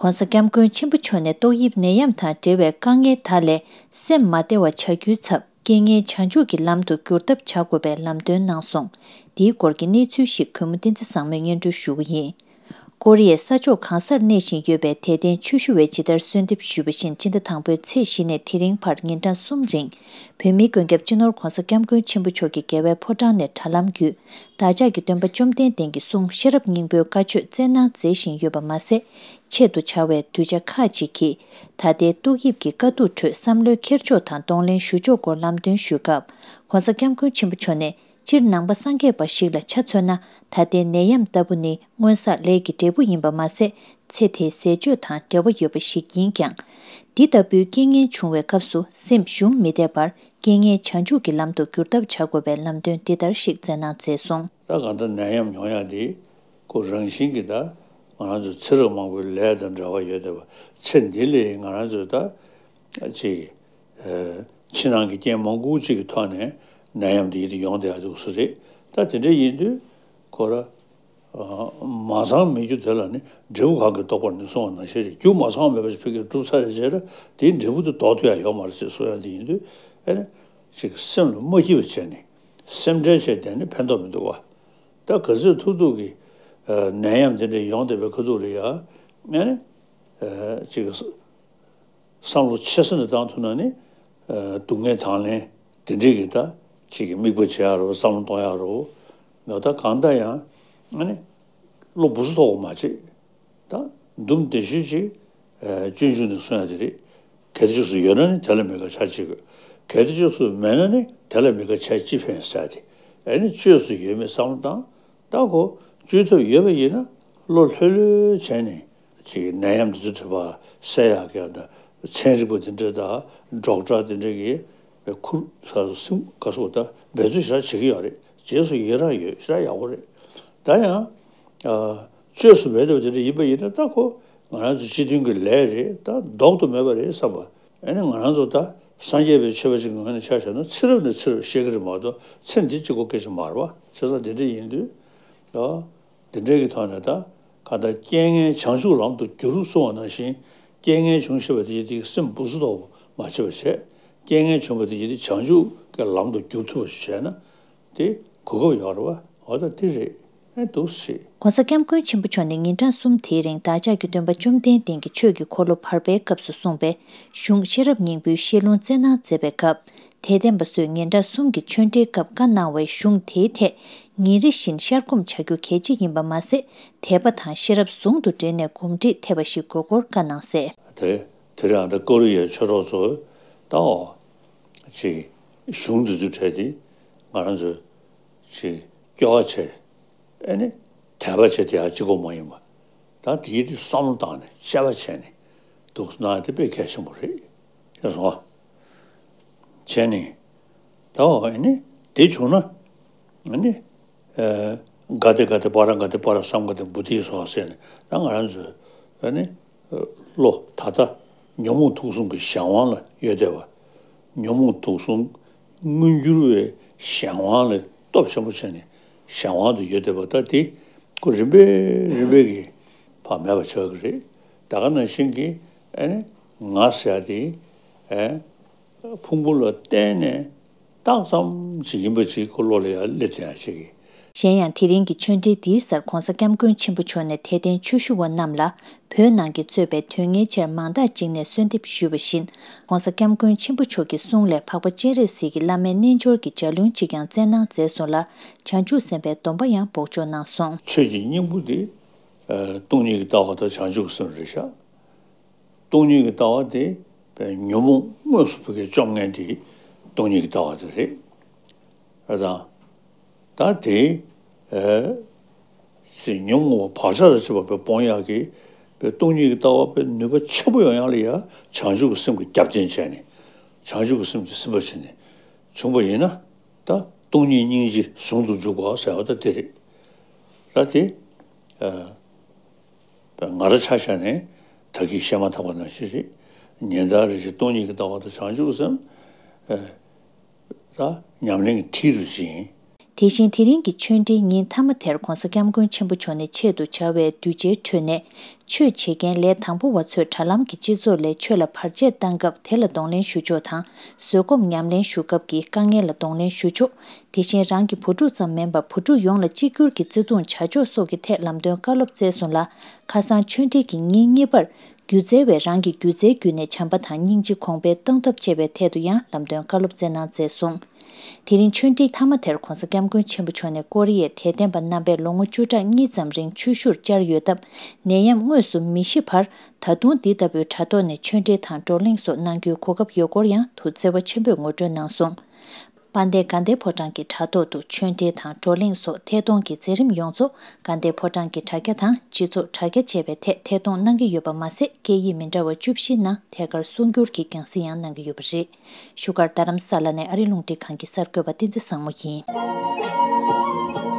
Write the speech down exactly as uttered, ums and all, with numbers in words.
༸གོང་ས་༸སྐྱབས་མགོན་ཆེན་པོ་མཆོག་ནས་ཏོག་དབྱིབས་ནད་ཡམས་དང་འབྲེལ་བའི་དཀའ་ངལ་དག་ལས་སེམས་མ་བདེ་བ་བྱ་རྒྱུའི་ཚབ། རྐྱེན་ངན་བྱང་ཆུབ་ཀྱི་ལམ་དུ་བསྒྱུར་ཐབས་བྱ་དགོས་པའི་ལམ་སྟོན་གནང་སོང་། འདིའི་སྐོར་གྱི་གནས་ཚུལ་ཞིག་གུས་མོ་བསྟན་འཛིན་བཟང་མོས་སྙན་སྒྲོན་ཞུ་གི་ཡིན། ཀོ་རི་ཡའི་ས་ཕྱོགས་གང་སར་གནས་བཞིན་ཡོད་པའི་དད་ལྡན་ཆོས་ཞུ་བས་ཇི་ལྟར་གསོལ་འདེབས་ཞུས་པ་བཞིན། སྤྱི་ཟླ་དང་པོའི་ཚེས་བཞི་ནས་དེ་རིང་བར་ཉིན་གྲངས་གསུམ་རིང་། བོད་མིའི་མགོན་སྐྱབས་སྤྱི་ནོར་༸གོང་ས་༸སྐྱབས་མགོན་ཆེན་པོ་མཆོག་གི་རྒྱལ་བའི་ཕོ་བྲང་ནས་དྲ་ལམ་བརྒྱུད། བདག་ཅག་གི་སྟོན་པ་བཅོམ་ལྡན་འདས་ཀྱི་གསུང་ཤེས་རབ་སྙིང་པོའི་བཀའ་ཆོས་སྩལ་གནང་མཛད་བཞིན་ཡོད་པ་མ་ཟད། ཆེད་དུ་བྱ་བའི་གདུལ་བྱ་ཁག་ཅིག་གིས་ད་ལྟའི་ཏོག་དབྱིབས་ཀྱི་དཀའ་སྡུག་ཁྲོད་བསམ་བློའི་འཁྱེར་ཕྱོགས་དང་གདོང་ལེན་ཞུ་ཕྱོགས་སྐོར་ལམ་སྟོན་ཞུས་སྐབས། ༸གོང་ས་༸སྐྱབས་མགོན་ཆེན་པོ་མཆོག་ནས། སྤྱིར་ནང་པ་སངས་རྒྱས་པ་ཞིག་ལ་ཆ་མཚོན་ན། ད་ལྟའི་ནད་ཡམས་ལྟ་བུ་ནི་སྔོན་བསགས་ལས་ཀྱི་འབྲས་བུ་ཡིན་པ་མ་ཟད། ཚེ་དེའི་ཟས་སྤྱོད་དང་འབྲེལ་བ་ཡོད་པ་ཞིག་ཡིན་ཀྱང་། འདི་ལྟ་བུའི་རྐྱེན་ངན་བྱུང་བའི་སྐབས་སུ་སེམས་ཞུམ་མི་བདེ་བར། རྐྱེན་ངན་བྱང་ཆུབ་ཀྱི་ལམ་དུ་བསྒྱུར་ཐབས་བྱ་དགོས་པའི་ལམ་སྟོན་འདི་ལྟར་ཞིག་སྩལ་གནང་མཛད་སོང་། ད་གང་ལྟར་ནད་ཡམས་ཡོང་ཡག་འདི་ཁོ་རང་བཞིན་གྱིས་ད་ང་རང་ཚོ་ཚེ་རབས་མང་པོའི་ལས་དང་འབྲེལ་བ་ཡོད་བསྡད་པ། ཚེ་འདི་ལས་ང་རང་ཚོས་ད་ཅིག་ཕྱི་ནང་གི་རྐྱེན་མང་པོ་ཅིག་གི་ཐོག་ནས་ནད་ཡམས་འདི་ཡིད་དུ་ཡོང་བསྡད་ཡག་འདུག་ས་རེད། ད་དེ་འདྲ་ཡིན་དུས་ཁོ་ར། མ་ཚང་མེད་རྒྱུ་དེ་ལ་ནི་འབྲས་བུ་གང་གིས་ལྡོག་པར་ནུས་གསུངས་པ་ནང་བཞིན་རེད། རྒྱུ་མ་ཚང་མེད་པ་ཞིག་ཕ་གིར་གྲུབ་ཚར་རེ་བྱས་ན་དེའི་འབྲས་བུ་དེ་ལྡོག་ཐུབ་ཡག་ཡོད་མ་རེད་ཅེས་གསུང་ཡག་འདི་ཡིན་དུས། ཨེ་ནི་ཅིག་སེམས་ལ་མ་སྐྱིད་པ་བྱས་ནས་སེམས་ཁྲལ་བྱས་བསྡད་ནས་ཕན་ཐོགས་མི་འདུག་བ། ད་ག་ཚོད་ཐུབ་ཐུབ་ཀྱིས་ནད་ཡམས་དེ་འདྲ་ཡོང་བསྡད་པའི་ཁ་ཐུག་ལ་ཡ་ཨེ་ནི་ཅིག་བསམ་བློ་ཆེ་ས་ནས་བཏང་ཐུབ་ན་ནི། སྡུག་བསྔལ་དང་ལེན་དེ་འདྲས་ཀྱི་ད་ཅིག་གི་དམིགས་པ་བྱེད་ཡག་རོ། བསམ་བློ་གཏོང་ཡག་རོ། ད་གང་ལྟར་ཡང་ཨ་ནི་བློ་སྦུ་སུ་ཐོག་མ་བྱེད། ད་འདུམ་དེ་ཤོད་ཅིག་སྤྱོད་འཇུག་ནས་གསུང་ཡག་དེ་རེད། གལ་ཏེ་ཅིག་སུ་ཡོད་ན་ནི་དེ་ལ་མི་དགའ་བྱ་བྱེད་དགོས། གལ་ཏེ་ཅིག་སུ་མེད་ན་ནི་དེ་ལ་མི་དགའ་བྱས་ཅི་ཕན་ཟེར་ཏེ། ཨ་ནི་བཅོས་སུ་ཡོད་མེད་བསམ་བློ་བཏང་། ད་ཁོ་བཅོས་ཐབས་ཡོད་པ་ཡིན་ན་བློ་ལྷོད་ལྷོད་བྱས་ནས། ཅིག་ནད་ཡམས་འདི་ཚོ་དྲི་བ་སེལ་ཡག་གི་ད་ཚན་རིག་པ་དེ་འདྲ་དང་ཌོག་ཊར་དེ་འདྲ་གིས་ཁུར་ས་སུ་སེམས་དགའ་སོ་ད་འབད་རྩོལ་ཞེ་དྲག་བྱེད་ཀྱི་ཡོད་རེད། རྗེས་སུ་ཡི་རང་ཡོད། ཞེ་དྲག་ཡག་པོ་རེད། ད་ཡང་བཅོས་སུ་མེད་པ་དེ་འདྲ་ཡིན་པ་ཡིན་ན་ད་ཁོ་ང་རང་ཚོ་སྤྱི་མཐུན་གྱི་ལས་རེད། ད་ལྡོག་ཏུ་མེད་པ་རེད་བསམ་པ། ཨ་ནི་ང་རང་ཚོ་ད་སངས་རྒྱས་པའི་ཆོས་པ་ཅིག་གི་ངོས་ནས་ཆ་བཞག་ན་ཚེ་རབས་ནས་ཚེ་རབས་བཤད་ཀྱི་རེད་མ་གཏོགས་ཚེ་འདི་གཅིག་པོ་སྐད་ཆ་མ་རེད་བ། བྱས་ཙང་དེ་འདྲ་ཡིན་དུས་ད། འདི་འདྲའི་གི་ཐོག་ནས་ད་ག་ད་རྐྱེན་ངན་བྱང་ཆུབ་ལམ་དུ་བསྒྱུར་གསུང་བ་ནང་བཞིན། རྐྱེན་ངན་བྱུང་ཤེས་པ་དེ་ཡིན་དུས་སེམས་སྦུ་སུ་ཐོག་མ་བྱེད་པ་བྱས། རྐྱེན་ངན་བྱུང་བ་དེ་ཡིན་དུས་བྱང་ཆུབ་ཀྱི་ལམ་དུ་བསྒྱུར་ཐུབ་པ་ཞིག་བྱས་ན་དེ་གོ་སྐབས་ཡོད་རེད་བ། འོ་ད་དེ་རེད། ཨེ་འདུག་སེ། ༸གོང་ས་༸སྐྱབས་མགོན་ཆེན་པོ་མཆོག་ནས་ཉིན་གྲངས་གསུམ་དེའི་རིང་བདག་ཅག་གི་སྟོན་པ་བཅོམ་ལྡན་འདས་ཀྱི་ཆོས་ཀྱི་འཁོར་ལོ་བར་པའི་སྐབས་སུ་གསུངས་པའི་གཞུང་ཤེས་རབ་སྙིང་པོའི་བཤད་ལུང་སྩལ་གནང་མཛད་པའི་སྐབས། དད་ལྡན་པ་ཚོས་ཉིན་གྲངས་གསུམ་གྱི་ཆོས་འབྲེལ་སྐབས་བཀའ་གནང་བའི་གཞུང་དེའི་ཐད་ཉིན་རེ་བཞིན་ཤར་སྒོམ་བྱ་རྒྱུ་གལ་ཆེ་ཡིན་པ་མ་ཟད། དད་པ་དང་ཤེས་རབ་ཟུང་དུ་འབྲེལ་ནས་གོམས་འདྲིས་ཐེབས་པ་ཞིག་དགོས་སྐོར་བཀའ་གནང་གསལ། དེ་དེ་རིང་ཨ་ད་ཀོ་རི་ཡའི་ཆོས་གྲོགས་ཚོས་ད་འོ་ཅིག་གཞུང་འདི་ཚོའི་གྲས་དེ་ང་རང་ཚོས་ཅིག་སྐྱོ་བ་བྱས། ཨེ་ནི་དད་པ་བྱས་དེ་ཡང་གཅིག་པོ་མ་ཡིན་པ། ད་དེའི་དེ་བསམ་བློ་བཏང་ནས་དཔྱད་པ་བྱས་ནས་འདུག་སེ་གནང་ཡ་དེ་དཔེ་གལ་ཆེན་པོ་རེད། ཤེས་སོང་ཨ། བྱས་ནས་ད་འོ་ཨེ་ནི་དེ་བྱུང་ན་ཨེ་ནི་ཨེ་ག་དེ་ག་དེ་པ་ར་ག་དེ་པ་ར་སཾ་ག་དེ་བོ་དྷི་སྭཱ་ཧཱ་ཟེར་ནས་ད་ང་རང་ཚོས་ཨེ་ནི་བློ་ད་ལྟ་ཉོན་མོངས་དུག་གསུམ་གྱི་གཞན་དབང་ལ་ཡོད་བསྡད་པ། ཉོན་མོངས་དུག་གསུམ་མངོན་གྱུར་བའི་གཞན་དབང་ལ་སྟོབས་ཆེན་པོ་བྱས་ནས་གཞན་དབང་དུ་ཡོད་བསྡད་པ། ད་དེ་ཁོ་རིམ་པས་རིམ་པས་ཀྱིས་ཕར་མེད་པ་ཆགས་ཀྱི་རེད། ད་ག་ནང་བཞིན་གྱི་ཨེ་ནི་ང་ཟེར་ཡ་དེ་ཨེ་ཕུང་པོ་ལ་བརྟེན་ནས་རྟགས་ཙམ་ཅིག་ཡིན་པ་ཅིག་ཁོ་བློ་ལ་ཡར་སླེབས་ཐུབ་ཡ་ཅིག་གི། གཞན་ཡང་དེ་རིང་གི་ཆོས་འབྲེལ་འདིའི་སར་༸གོང་ས་༸སྐྱབས་མགོན་ཆེན་པོ་མཆོག་ནས་དད་ལྡན་ཆོས་ཞུ་བ་རྣམས་ལ་བོད་ནང་གི་གཙོས་པའི་དོན་གཉེར་ཆེར་མང་དག་ཅིག་ནས་གསོལ་འདེབས་ཞུས་པ་བཞིན། ༸གོང་ས་༸སྐྱབས་མགོན་ཆེན་པོ་མཆོག་གི་གསུང་ལས་འཕགས་པ་སྤྱན་རས་གཟིགས་ཀྱི་བླ་མའི་རྣལ་འབྱོར་གྱི་ལྗགས་ལུང་ཅིག་ཀྱང་སྩལ་གནང་མཛད་སོང་ལ། བྱང་ཆུབ་སེམས་དཔའི་སྡོམ་པ་ཡང་འབོགས་ཆོག་གནང་སོང་། ཆོས་ཀྱི་སྙིང་པོ་དེ་སྟོང་ཉིད་ཀྱི་ལྟ་བ་དང་བྱང་ཆུབ་སེམས་རེད་ཤག་སྟོང་ཉིད་ཀྱི་ལྟ་བ་དེ་ཉོན་མོངས་དངོས་སུ་བོད་སྐད་བཅོམ་མཁན་དེ་སྟོང་ཉིད་ཀྱི་ལྟ་བ་དེ་རེད། ཨ་དང་། ད་དེ་ཨེ་ཅེས་ཉོན་མོངས་པ་བག་ཆགས་དང་བཅས་པ་སྤོང་ཡག་གི་སྟོང་ཉིད་ཀྱི་ལྟ་བ་ནུས་པ་ཆེན་པོ་ཡོང་ཡག་ལ་ཡ་བྱང་ཆུབ་ཀྱི་སེམས་ཀྱི་རྒྱབ་རྟེན་བྱས་ནས་བྱང་ཆུབ་ཀྱི་སེམས་ཀྱིས་ཟིན་པ་བྱས་ནས་བྱུང་བ་ཡིན་ན་ད་སྟོང་ཉིད་སྙིང་རྗེ་ཟུང་དུ་འཇུག་པ་ཟེར་བ་ད་དེ་རེད། ད་དེ་ཨེ། ང་རང་ཆ་བཞག་ནས་ད་གིན་བཤད་མ་ཐག་པ་ནང་བཞིན་རེད། ཉན་ཐོས་རེ་ཞིག་སྟོང་ཉིད་ཀྱི་ལྟ་བ་དང་བྱང་ཆུབ་སེམས། ཨེ། ད་ཉམས་ལེན་གྱི་མཐིལ་དུ་ཕྱིན། དེ་བཞིན་དེ་རིང་གི་ཆོས་འབྲེལ་ཉིན་མཐའ་མ་དེར་༧གོང་ས་༧སྐྱབས་མགོན་ཆེན་པོ་མཆོག་ནས་ཆེད་དུ་བྱ་བའི་གདུལ་བྱའི་ཁྲོད་ནས། ཆོས་བྱེད་མཁན་ལས་དང་པོ་བ་ཚོས་དྲ་ལམ་གྱི་སྤྱི་ཚོགས་ལས་ཆོས་ལ་བར་ཆད་བཏང་སྐབས་དེ་ལ་གདོང་ལེན་ཞུ་ཕྱོགས་དང་། བཟོད་སྒོམ་ཉམས་ལེན་ཞུ་སྐབས་ཀྱི་དཀའ་ངལ་ལ་གདོང་ལེན་ཞུ་ཕྱོགས། དེ་བཞིན་རང་གི་བུ་ཕྲུག་ཙམ་མིན་པར་བུ་ཕྲུག་ཡོངས་ལ་གཅིག་གྱུར་གྱི་བརྩེ་དུང་བྱ་ཕྱོགས་སོགས་ཀྱི་ཐད་ལམ་སྟོན་བཀའ་སློབ་སྩལ་སོང་ལ། ཁ་སང་ཆོས་འབྲེལ་གྱི་ཉིན་གཉིས་པར། སྒྱུ་རྩལ་བས་རང་གི་སྒྱུ་རྩལ་བརྒྱུད་ནས་བྱམས་པ་དང་སྙིང་རྗེ་གོང་འཕེལ་གཏོང་ཐབས་བྱེད་པའི་ཐད་དུ་ཡང་ལམ་སྟོན་བཀའ་སློབ་སྩལ་གནང་མཛད་སོང་། དེ་རིང་ཆོས་འབྲེལ་མཐའ་མ་དེར་༧གོང་ས་༧སྐྱབས་མགོན་ཆེན་པོ་མཆོག་ནས་ཀོ་རི་ཡའི་དད་ལྡན་པ་རྣམ་པས་ལོ་ངོ་བཅུ་ཕྲག་གཉིས་ཙམ་རིང་ཆོས་ཞུར་བཅར་ཡོད་སྟབས། ནད་ཡམས་དངོས་སུ་མི་ཤི་བར། ད་དུང་འདི་ལྟ་བུའི་དྲ་ཐོག་ནས་ཆོས་འབྲེལ་དང་བགྲོ་གླེང་སོགས་གནང་རྒྱུའི་གོ་སྐབས་ཡོད་སྐོར་ཡང་དུ་བརྩེ་བ་ཆེན་པོས་ངོ་སྤྲོད་གནང་སོང་། དཔལ་ལྡན་དགའ་ལྡན་ཕོ་བྲང་གི་དྲ་ཐོག་ཏུ་ཆོས་འབྲེལ་དང་བགྲོ་གླེང་སོགས་ཐད་གཏོང་གི་མཛད་རིམ་ཡོངས་རྫོགས་དགའ་ལྡན་ཕོ་བྲང་གི་དྲ་རྒྱ་དང་སྤྱི་ཚོགས་དྲ་རྒྱ་བཅས་པའི་ཐད་ཐད་གཏོང་གནང་གི་ཡོད་པ་མ་ཟད། སྐད་ཡིག་མི་འདྲ་བ་བཅུ་བཞིའི་ནང་ཐད་ཀར་གསུང་སྒྱུར་གྱི་རྒྱང་སྲིང་ཡང་གནང་གི་ཡོད་པ་རེད། བཞུགས་སྒར་རྡ་རམ་ས་ལ་ནས་ཨ་རི་རླུང་འཕྲིན་ཁང་གི་གསར་འགོད་པ་བསྟན་འཛིན་བཟང་མོ་ཡིན།